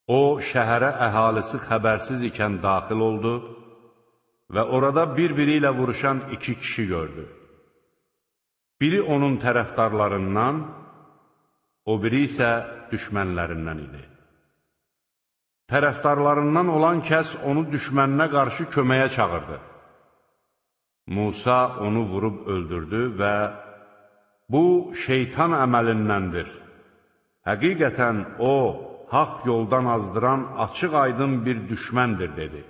O, şəhərə əhalisi xəbərsiz ikən daxil oldu və orada bir-biri ilə vuruşan iki kişi gördü. Biri onun tərəfdarlarından, o biri isə düşmənlərindən idi. Tərəfdarlarından olan kəs onu düşməninə qarşı köməyə çağırdı. Musa onu vurub öldürdü və bu, şeytan əməlindəndir. Həqiqətən o, haqq yoldan azdıran açıq-aydın bir düşməndir, dedi.